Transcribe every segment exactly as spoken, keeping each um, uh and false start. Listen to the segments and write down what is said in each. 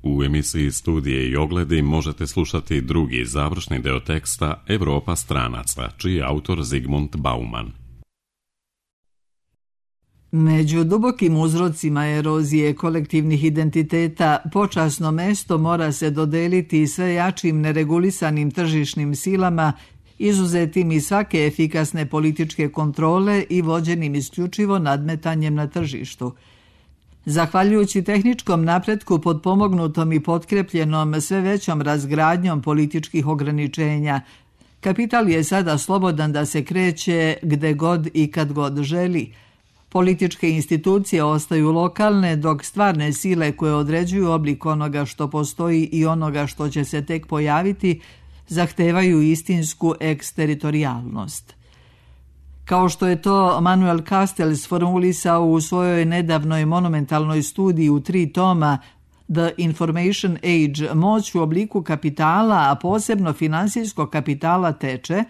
U emisiji Studije i ogledi možete slušati drugi završni deo teksta Evropa stranaca, čiji je autor Zygmunt Bauman. Među dubokim uzrocima erozije kolektivnih identiteta počasno mesto mora se dodeliti sve jačim neregulisanim tržišnim silama, izuzetim iz svake efikasne političke kontrole i vođenim isključivo nadmetanjem na tržištu. Zahvaljujući tehničkom napretku potpomognutom i potkrepljenom sve većom razgradnjom političkih ograničenja, kapital je sada slobodan da se kreće gde god i kad god želi. Političke institucije ostaju lokalne, dok stvarne sile koje određuju oblik onoga što postoji i onoga što će se tek pojaviti, zahtevaju istinsku eksteritorijalnost. Kao što je to Manuel Castells formulisao u svojoj nedavnoj monumentalnoj studiji u tri toma The Information Age, moć u obliku kapitala, a posebno finansijskog kapitala teče,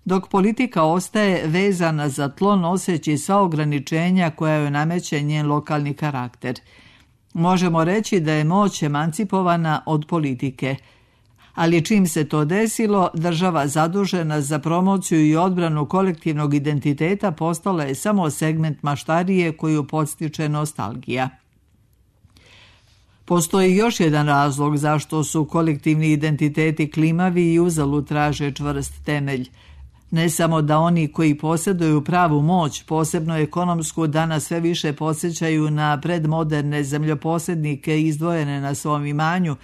dok politika ostaje vezana za tlo noseći sva ograničenja koja joj nameće njen lokalni karakter. Možemo reći da je moć emancipovana od politike. Ali čim se to desilo, država zadužena za promociju i odbranu kolektivnog identiteta postala je samo segment maštarije koju podstiče nostalgija. Postoji još jedan razlog zašto su kolektivni identiteti klimavi i uzalud traže čvrst temelj. Ne samo da oni koji posjeduju pravu moć, posebno ekonomsku, danas sve više podsjećaju na predmoderne zemljoposjednike izdvojene na svom imanju,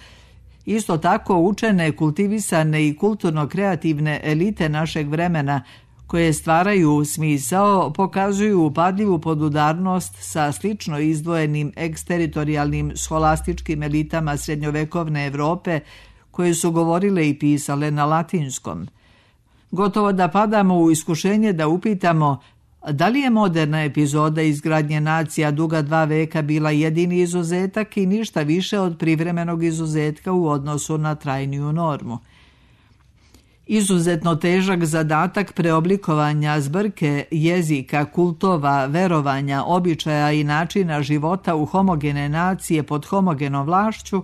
isto tako učene, kultivisane i kulturno-kreativne elite našeg vremena, koje stvaraju smisao, pokazuju upadljivu podudarnost sa slično izdvojenim eksteritorijalnim scholastičkim elitama srednjovekovne Evrope, koje su govorile i pisale na latinskom. Gotovo da padamo u iskušenje da upitamo da li je moderna epizoda izgradnje nacija duga dva veka bila jedini izuzetak i ništa više od privremenog izuzetka u odnosu na trajniju normu. Izuzetno težak zadatak preoblikovanja zbrke jezika, kultova, verovanja, običaja i načina života u homogene nacije pod homogenom vlašću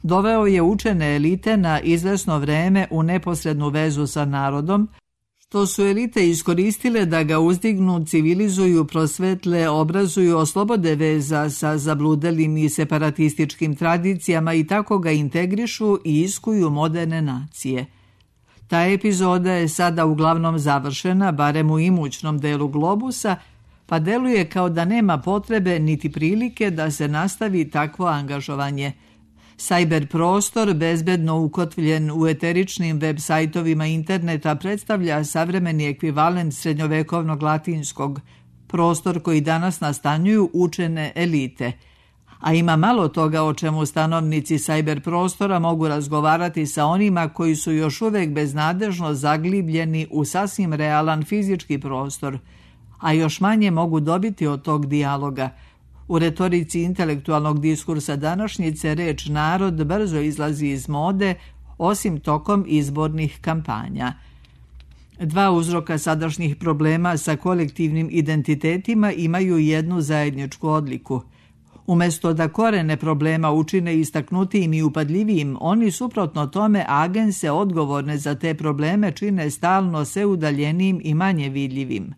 doveo je učene elite na izvesno vreme u neposrednu vezu sa narodom, što su elite iskoristile da ga uzdignu, civilizuju, prosvetle, obrazuju, oslobode veza sa zabludelim i separatističkim tradicijama i tako ga integrišu i iskuju moderne nacije. Ta epizoda je sada uglavnom završena, barem u imućnom delu globusa, pa deluje kao da nema potrebe niti prilike da se nastavi takvo angažovanje. Cyber prostor, bezbedno ukotvljen u eteričnim web sajtovima interneta, predstavlja savremeni ekvivalent srednjovekovnog latinskog, prostor koji danas nastanjuju učene elite. A ima malo toga o čemu stanovnici cyber prostora mogu razgovarati sa onima koji su još uvek beznadežno zaglibljeni u sasvim realan fizički prostor, a još manje mogu dobiti od tog dijaloga. U retorici intelektualnog diskursa današnjice reč narod brzo izlazi iz mode, osim tokom izbornih kampanja. Dva uzroka sadašnjih problema sa kolektivnim identitetima imaju jednu zajedničku odliku. Umesto da korene problema učine istaknutijim i upadljivijim, oni suprotno tome agense odgovorne za te probleme čine stalno sve udaljenijim i manje vidljivim.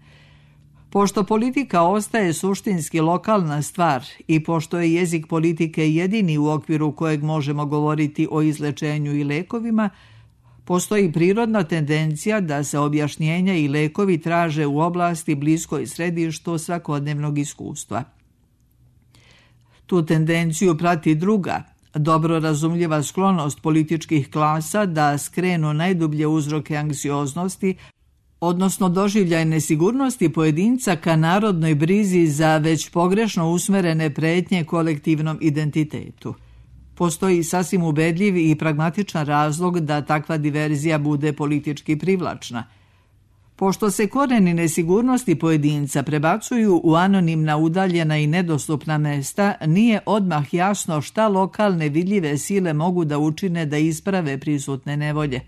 Pošto politika ostaje suštinski lokalna stvar i pošto je jezik politike jedini u okviru kojeg možemo govoriti o izlečenju i lekovima, postoji prirodna tendencija da se objašnjenja i lekovi traže u oblasti bliskoj središtu svakodnevnog iskustva. Tu tendenciju prati druga, dobro razumljiva sklonost političkih klasa da skrenu najdublje uzroke anksioznosti, odnosno doživljaj nesigurnosti pojedinca ka narodnoj brizi za već pogrešno usmerene pretnje kolektivnom identitetu. Postoji sasvim ubedljiv i pragmatičan razlog da takva diverzija bude politički privlačna. Pošto se koreni nesigurnosti pojedinca prebacuju u anonimna, udaljena i nedostupna mesta, nije odmah jasno šta lokalne vidljive sile mogu da učine da isprave prisutne nevolje.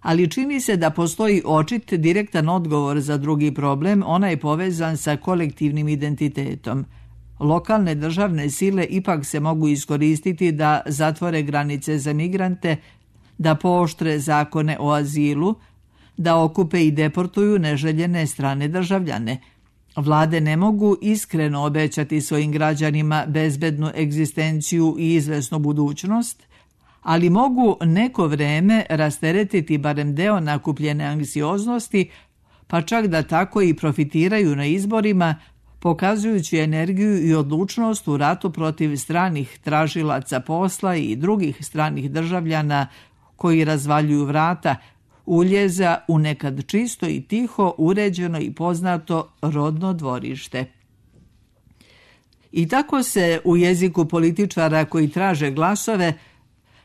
Ali čini se da postoji očit direktan odgovor za drugi problem, onaj povezan sa kolektivnim identitetom. lokalne državne sile ipak se mogu iskoristiti da zatvore granice za migrante, da pooštre zakone o azilu, da okupe i deportuju neželjene strane državljane. Vlade ne mogu iskreno obećati svojim građanima bezbednu egzistenciju i izvesnu budućnost, ali mogu neko vreme rasteretiti barem deo nakupljene anksioznosti, pa čak da tako i profitiraju na izborima, pokazujući energiju i odlučnost u ratu protiv stranih tražilaca posla i drugih stranih državljana koji razvaljuju vrata uljeza u nekad čisto i tiho, uređeno i poznato rodno dvorište. I tako se u jeziku političara koji traže glasove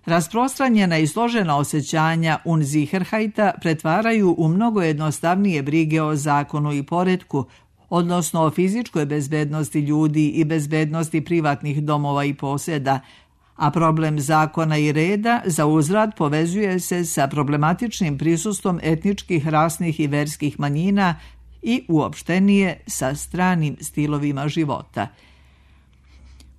rasprostranjena i složena osjećanja Unsicherheita pretvaraju u mnogo jednostavnije brige o zakonu i poretku, odnosno o fizičkoj bezbednosti ljudi i bezbednosti privatnih domova i posjeda, a problem zakona i reda za uzvrat povezuje se sa problematičnim prisustvom etničkih, rasnih i verskih manjina i uopštenije sa stranim stilovima života.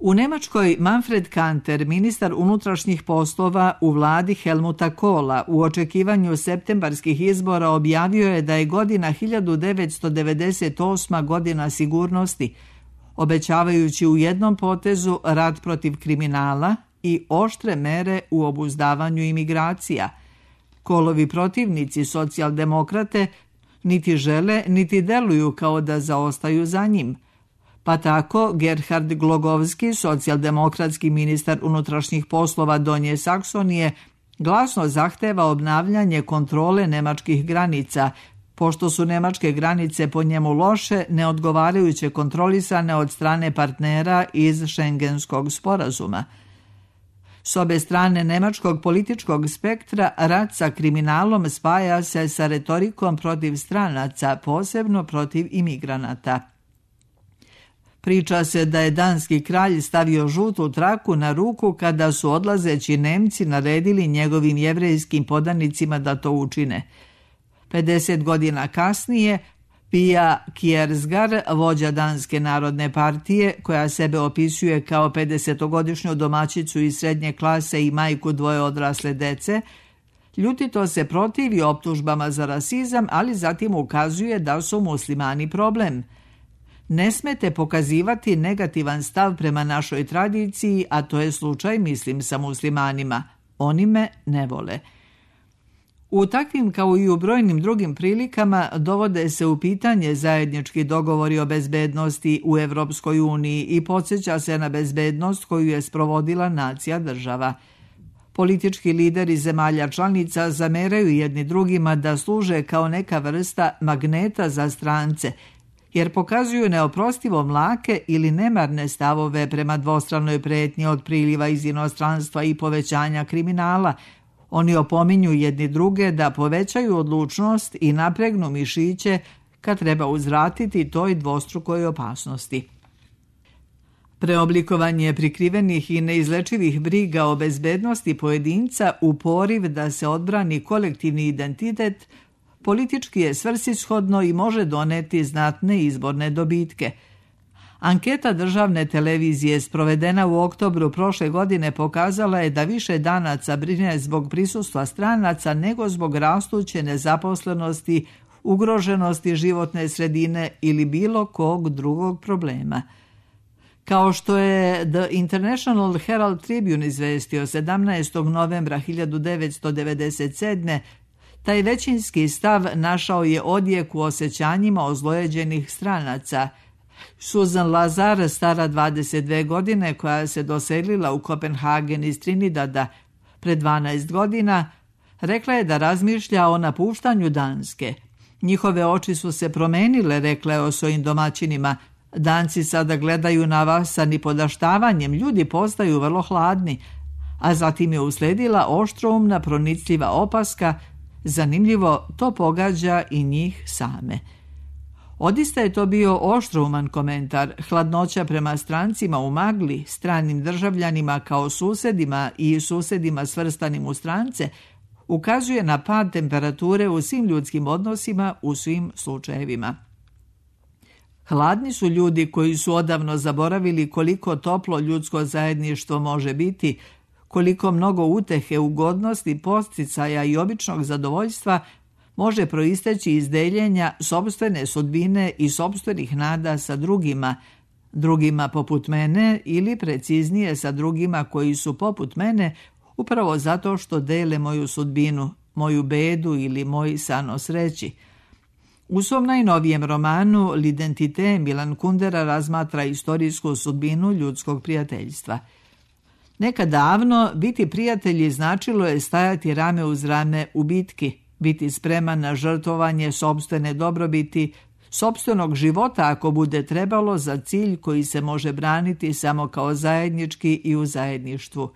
U Nemačkoj Manfred Kanter, ministar unutrašnjih poslova u vladi Helmuta Kohla, u očekivanju septembarskih izbora objavio je da je godina hiljadu devetsto devedeset osma godina sigurnosti, obećavajući u jednom potezu rat protiv kriminala i oštre mere u obuzdavanju imigracija. Kohlovi protivnici, socijaldemokrate, niti žele, niti deluju kao da zaostaju za njim. Pa tako Gerhard Glogovski, socijaldemokratski ministar unutrašnjih poslova Donje Saksonije, glasno zahteva obnavljanje kontrole nemačkih granica, pošto su nemačke granice po njemu loše, neodgovarajuće kontrolisane od strane partnera iz Schengenskog sporazuma. S obe strane nemačkog političkog spektra rat sa kriminalom spaja se sa retorikom protiv stranaca, posebno protiv imigranata. Priča se da je danski kralj stavio žutu traku na ruku kada su odlazeći Nemci naredili njegovim jevrejskim podanicima da to učine. pedeset godina kasnije, Pia Kjærsgaard, vođa Danske narodne partije, koja sebe opisuje kao pedesetogodišnju domaćicu iz srednje klase i majku dvoje odrasle dece, ljutito se protivi optužbama za rasizam, ali zatim ukazuje da su muslimani problem. Ne smete pokazivati negativan stav prema našoj tradiciji, a to je slučaj, mislim, sa muslimanima. Oni me ne vole. U takvim kao i u brojnim drugim prilikama dovode se u pitanje zajednički dogovori o bezbednosti u Evropskoj uniji i podsjeća se na bezbednost koju je sprovodila nacija država. Politički lideri zemalja članica zameraju jedni drugima da služe kao neka vrsta magneta za strance, jer pokazuju neoprostivo mlake ili nemarne stavove prema dvostranoj pretnji od priliva iz inostranstva i povećanja kriminala. Oni opominju jedni druge da povećaju odlučnost i napregnu mišiće kad treba uzvratiti toj dvostrukoj opasnosti. Preoblikovanje prikrivenih i neizlečivih briga o bezbednosti pojedinca u poriv da se odbrani kolektivni identitet politički je svrsishodno i može doneti znatne izborne dobitke. Anketa državne televizije sprovedena u oktobru prošle godine pokazala je da više Danaca brine zbog prisustva stranaca nego zbog rastuće nezaposlenosti, ugroženosti životne sredine ili bilo kog drugog problema. Kao što je The International Herald Tribune izvestio sedamnaestog novembra hiljadu devetsto devedeset sedme, taj većinski stav našao je odjek u osjećanjima ozlojeđenih stranaca. Susan Lazar, stara dvadeset dve godine, koja se doselila u Kopenhagen iz Trinidada pred dvanaest godina, rekla je da razmišlja o napuštanju Danske. Njihove oči su se promenile, rekla je o svojim domaćinima. Danci sada gledaju na vas sa nipodaštavanjem, ljudi postaju vrlo hladni. A zatim je usledila oštroumna pronicljiva opaska, zanimljivo, to pogađa i njih same. Odista je to bio oštrouman komentar, hladnoća prema strancima u magli, stranim državljanima kao susedima i susedima svrstanim u strance, ukazuje na pad temperature u svim ljudskim odnosima u svim slučajevima. Hladni su ljudi koji su odavno zaboravili koliko toplo ljudsko zajedništvo može biti, koliko mnogo utehe, ugodnosti, podsticaja i običnog zadovoljstva može proisteći iz deljenja sopstvene sudbine i sopstvenih nada sa drugima, drugima poput mene ili preciznije sa drugima koji su poput mene upravo zato što dele moju sudbinu, moju bedu ili moj san o sreći. U svom najnovijem romanu L'identité Milan Kundera razmatra istorijsku sudbinu ljudskog prijateljstva. Nekad davno biti prijatelji značilo je stajati rame uz rame u bitki, biti spreman na žrtvovanje sopstvene dobrobiti, sopstvenog života ako bude trebalo za cilj koji se može braniti samo kao zajednički i u zajedništvu.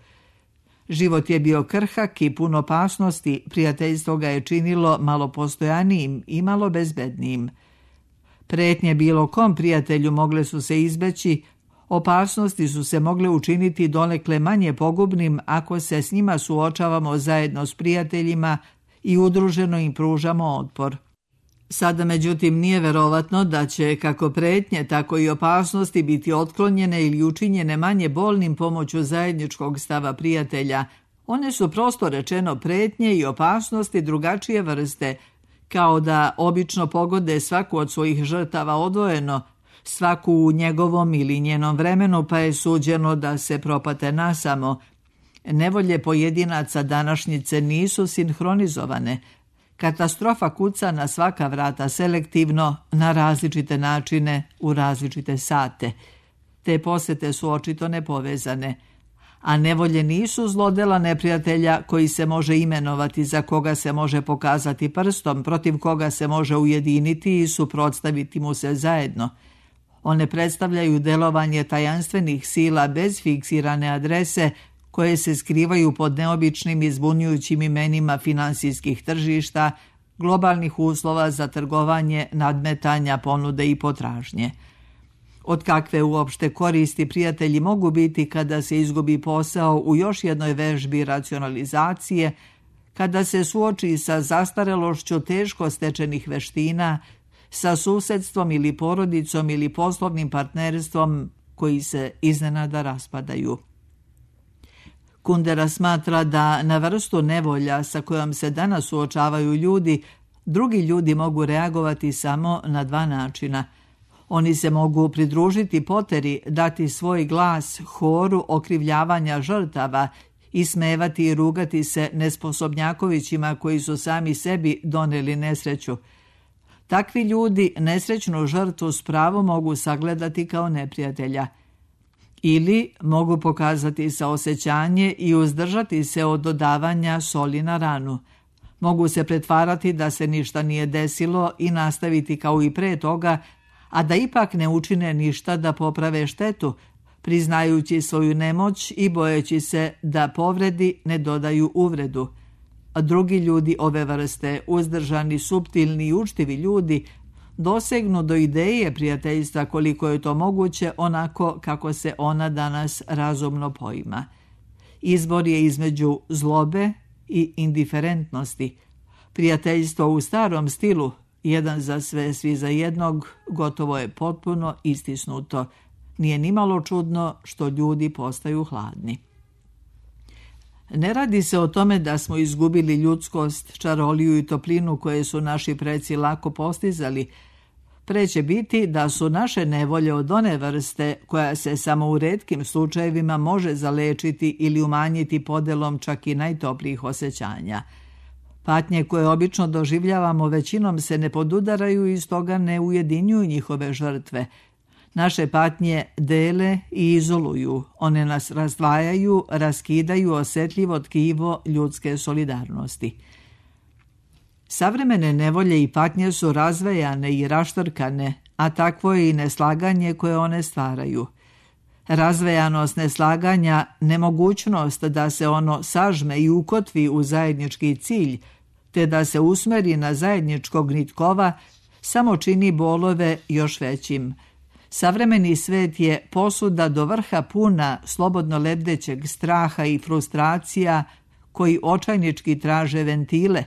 Život je bio krhak i pun opasnosti, prijateljstvo ga je činilo malo postojanijim i malo bezbednijim. Pretnje bilo kom prijatelju mogle su se izbeći, opasnosti su se mogle učiniti donekle manje pogubnim ako se s njima suočavamo zajedno s prijateljima i udruženo im pružamo otpor. Sada, međutim, nije verovatno da će kako pretnje, tako i opasnosti biti otklonjene ili učinjene manje bolnim pomoću zajedničkog stava prijatelja. One su prosto rečeno pretnje i opasnosti drugačije vrste, kao da obično pogode svaku od svojih žrtava odvojeno, svaku u njegovom ili njenom vremenu, pa je suđeno da se propate nasamo. Nevolje pojedinaca današnjice nisu sinhronizovane. Katastrofa kuca na svaka vrata selektivno, na različite načine, u različite sate. Te posete su očito nepovezane. A nevolje nisu zlodela neprijatelja koji se može imenovati, za koga se može pokazati prstom, protiv koga se može ujediniti i suprotstaviti mu se zajedno. One predstavljaju delovanje tajanstvenih sila bez fiksirane adrese, koje se skrivaju pod neobičnim i zbunjujućim imenima finansijskih tržišta, globalnih uslova za trgovanje, nadmetanja, ponude i potražnje. Od kakve uopšte koristi prijatelji mogu biti kada se izgubi posao u još jednoj vežbi racionalizacije, kada se suoči sa zastarelošću teško stečenih veština, sa susedstvom ili porodicom ili poslovnim partnerstvom koji se iznenada raspadaju. Kundera smatra da na vrstu nevolja sa kojom se danas suočavaju ljudi, drugi ljudi mogu reagovati samo na dva načina. Oni se mogu pridružiti poteri, dati svoj glas horu okrivljavanja žrtava, ismevati i rugati se nesposobnjakovićima koji su sami sebi doneli nesreću. Takvi ljudi nesrećnu žrtvu s pravom mogu sagledati kao neprijatelja. Ili mogu pokazati saosećanje i uzdržati se od dodavanja soli na ranu. Mogu se pretvarati da se ništa nije desilo i nastaviti kao i pre toga, a da ipak ne učine ništa da poprave štetu, priznajući svoju nemoć i bojeći se da povredi ne dodaju uvredu. A drugi ljudi ove vrste, uzdržani, suptilni i učtivi ljudi, dosegnu do ideje prijateljstva koliko je to moguće onako kako se ona danas razumno poima. Izbor je između zlobe i indiferentnosti. Prijateljstvo u starom stilu, jedan za sve, svi za jednog, gotovo je potpuno istisnuto. Nije nimalo čudno što ljudi postaju hladni. Ne radi se o tome da smo izgubili ljudskost, čaroliju i toplinu koje su naši preci lako postizali. Pre će biti da su naše nevolje od one vrste koja se samo u retkim slučajevima može zalečiti ili umanjiti podelom čak i najtoplijih osjećanja. Patnje koje obično doživljavamo većinom se ne podudaraju i stoga ne ujedinjuju njihove žrtve. Naše patnje dele i izoluju, one nas razdvajaju, raskidaju osjetljivo tkivo ljudske solidarnosti. Savremene nevolje i patnje su razvejane i raštrkane, a takvo je i neslaganje koje one stvaraju. Razvejanost neslaganja, nemogućnost da se ono sažme i ukotvi u zajednički cilj, te da se usmeri na zajedničkog nitkova, samo čini bolove još većim. Savremeni svet je posuda do vrha puna slobodno lebdećeg straha i frustracija koji očajnički traže ventile.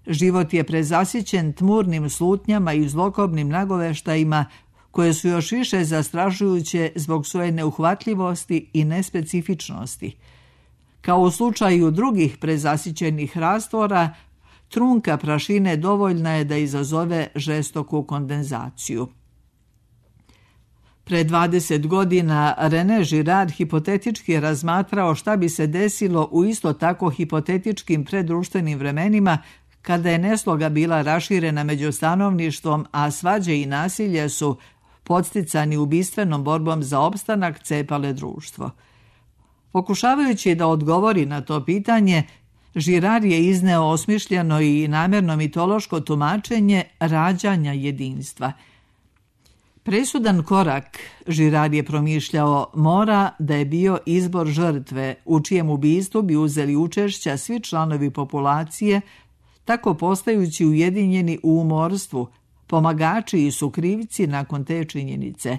Život je prezasićen tmurnim slutnjama i zlokobnim nagoveštajima koje su još više zastrašujuće zbog svoje neuhvatljivosti i nespecifičnosti. Kao u slučaju drugih prezasićenih rastvora, trunka prašine dovoljna je da izazove žestoku kondenzaciju. Pre dvadeset godina René Girard hipotetički je razmatrao šta bi se desilo u isto tako hipotetičkim preddruštvenim vremenima kada je nesloga bila raširena među stanovništvom, a svađe i nasilje su, podsticani ubistvenom borbom za opstanak, cepale društvo. Pokušavajući da odgovori na to pitanje, Girard je izneo osmišljeno i namjerno mitološko tumačenje rađanja jedinstva. Presudan korak, Girard je promišljao, mora da je bio izbor žrtve, u čijem ubistvu bi uzeli učešća svi članovi populacije, tako postajući ujedinjeni u umorstvu, pomagači i sukrivci nakon te činjenice.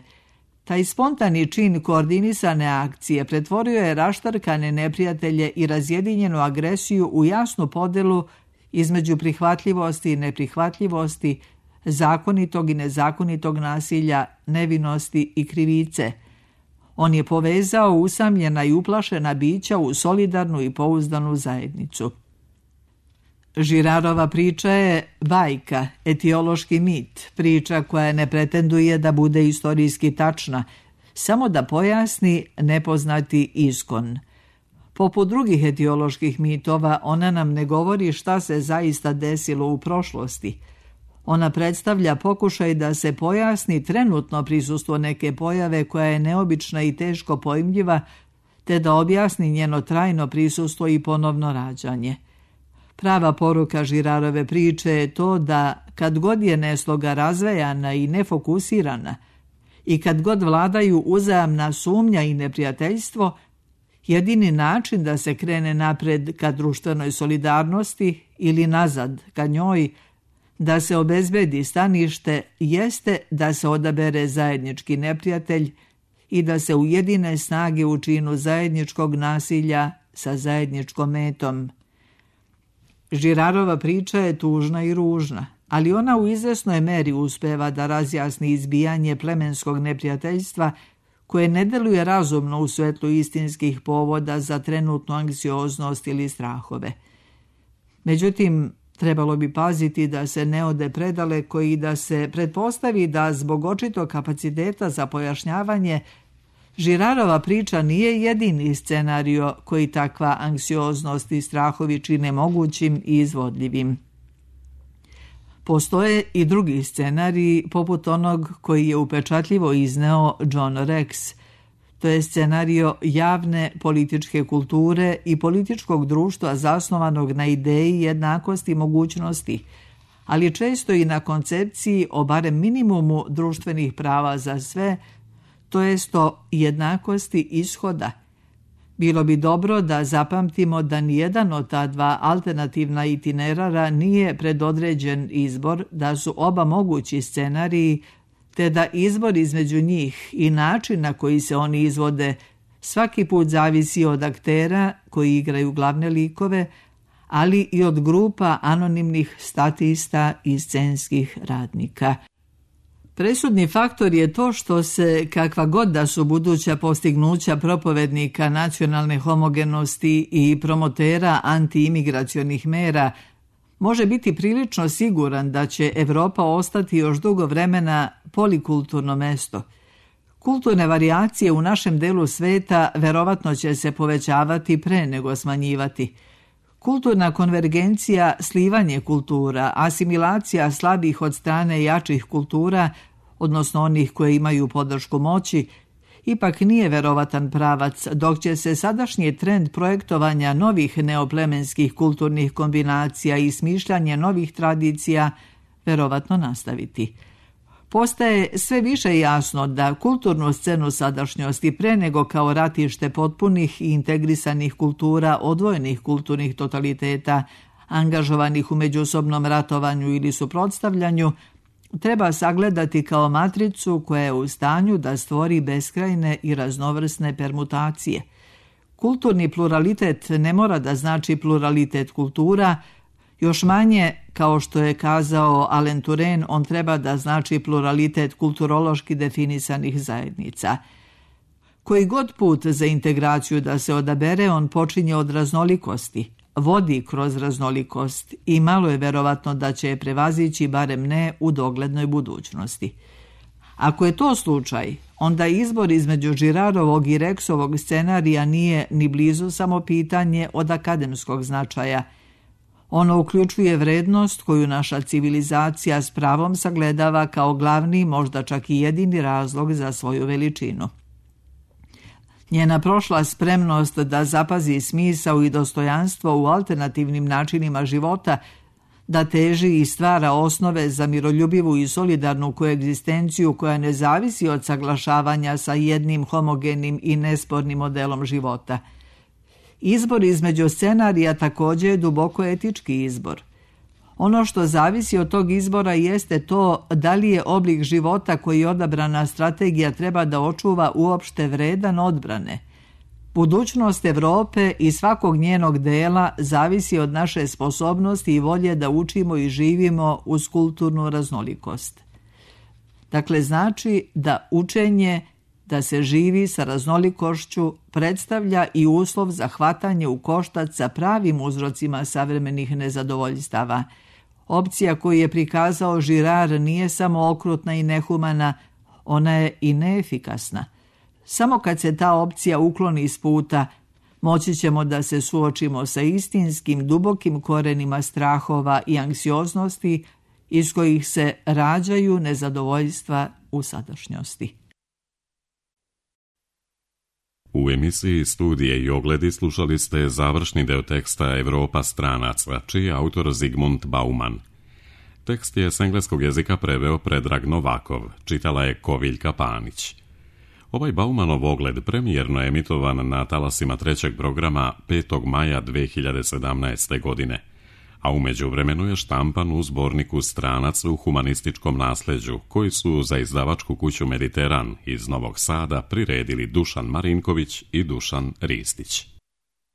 Taj spontani čin koordinisane akcije pretvorio je raštarkane neprijatelje i razjedinjenu agresiju u jasnu podelu između prihvatljivosti i neprihvatljivosti, zakonitog i nezakonitog nasilja, nevinosti i krivice. On je povezao usamljena i uplašena bića u solidarnu i pouzdanu zajednicu. Girardova priča je bajka, etiološki mit, priča koja ne pretenduje da bude istorijski tačna, samo da pojasni nepoznati iskon. Poput drugih etioloških mitova, ona nam ne govori šta se zaista desilo u prošlosti. Ona predstavlja pokušaj da se pojasni trenutno prisustvo neke pojave koja je neobična i teško pojmljiva, te da objasni njeno trajno prisustvo i ponovno rađanje. Prava poruka Girardove priče je to da kad god je nesloga razvejana i nefokusirana i kad god vladaju uzajamna sumnja i neprijateljstvo, jedini način da se krene napred ka društvenoj solidarnosti ili nazad ka njoj, da se obezbedi stanište, jeste da se odabere zajednički neprijatelj i da se ujedine snage u činu zajedničkog nasilja sa zajedničkom metom. Girardova priča je tužna i ružna, ali ona u izvesnoj meri uspeva da razjasni izbijanje plemenskog neprijateljstva koje ne deluje razumno u svetlu istinskih povoda za trenutnu anksioznost ili strahove. Međutim, trebalo bi paziti da se ne ode predaleko i da se pretpostavi da zbog očitog kapaciteta za pojašnjavanje Girardova priča nije jedini scenario koji takva anksioznost i strahovi čine mogućim i izvodljivim. Postoje i drugi scenariji poput onog koji je upečatljivo izneo John Rex. To je scenario javne političke kulture i političkog društva zasnovanog na ideji jednakosti mogućnosti, ali često i na koncepciji o barem minimumu društvenih prava za sve, to jest o jednakosti ishoda. Bilo bi dobro da zapamtimo da nijedan od ta dva alternativna itinerara nije predodređen izbor, da su oba mogući scenariji, te da izbor između njih i način na koji se oni izvode svaki put zavisi od aktera koji igraju glavne likove, ali i od grupa anonimnih statista i scenskih radnika. Presudni faktor je to što se, kakva god da su buduća postignuća propovednika nacionalne homogenosti i promotera antiimigracionih mera, može biti prilično siguran da će Evropa ostati još dugo vremena polikulturno mesto. Kulturne varijacije u našem delu sveta verovatno će se povećavati pre nego smanjivati. Kulturna konvergencija, slivanje kultura, asimilacija slabih od strane jačih kultura, odnosno onih koje imaju podršku moći, ipak nije verovatan pravac, dok će se sadašnji trend projektovanja novih neoplemenskih kulturnih kombinacija i smišljanje novih tradicija verovatno nastaviti. Postaje sve više jasno da kulturnu scenu sadašnjosti pre nego kao ratište potpunih i integrisanih kultura, odvojenih kulturnih totaliteta, angažovanih u međusobnom ratovanju ili suprotstavljanju, treba sagledati kao matricu koja je u stanju da stvori beskrajne i raznovrsne permutacije. Kulturni pluralitet ne mora da znači pluralitet kultura, Još manje, kao što je kazao Alain Touraine, on treba da znači pluralitet kulturološki definisanih zajednica. Koji god put za integraciju da se odabere, on počinje od raznolikosti, vodi kroz raznolikost i malo je verovatno da će je prevazići, barem ne u doglednoj budućnosti. Ako je to slučaj, onda izbor između Girarovog i Rexovog scenarija nije ni blizu samo pitanje od akademskog značaja. Ono uključuje vrednost koju naša civilizacija s pravom sagledava kao glavni, možda čak i jedini razlog za svoju veličinu. Njena prošla spremnost da zapazi smisao i dostojanstvo u alternativnim načinima života, da teži i stvara osnove za miroljubivu i solidarnu koegzistenciju koja ne zavisi od saglašavanja sa jednim homogenim i nespornim modelom života. Izbor između scenarija također je duboko etički izbor. Ono što zavisi od tog izbora jeste to da li je oblik života koji odabrana strategija treba da očuva uopšte vredan odbrane. Budućnost Evrope i svakog njenog dela zavisi od naše sposobnosti i volje da učimo i živimo uz kulturnu raznolikost. Dakle, znači da učenje, da se živi sa raznolikošću, predstavlja i uslov za hvatanje u koštac sa pravim uzrocima savremenih nezadovoljstava. Opcija koju je prikazao Girard nije samo okrutna i nehumana, ona je i neefikasna. Samo kad se ta opcija ukloni iz puta, moći ćemo da se suočimo sa istinskim, dubokim korenima strahova i anksioznosti iz kojih se rađaju nezadovoljstva u sadašnjosti. U emisiji Studije i ogledi slušali ste završni deo teksta Evropa stranaca, čiji je autor Zygmunt Bauman. Tekst je s engleskog jezika preveo Predrag Novakov, čitala je Koviljka Panić. Ovaj Baumanov ogled premijerno je emitovan na talasima trećeg programa petog maja dve hiljade sedamnaeste. godine, a u međuvremenu je štampan u zborniku Stranac u humanističkom nasleđu, koji su za izdavačku kuću Mediteran iz Novog Sada priredili Dušan Marinković i Dušan Ristić.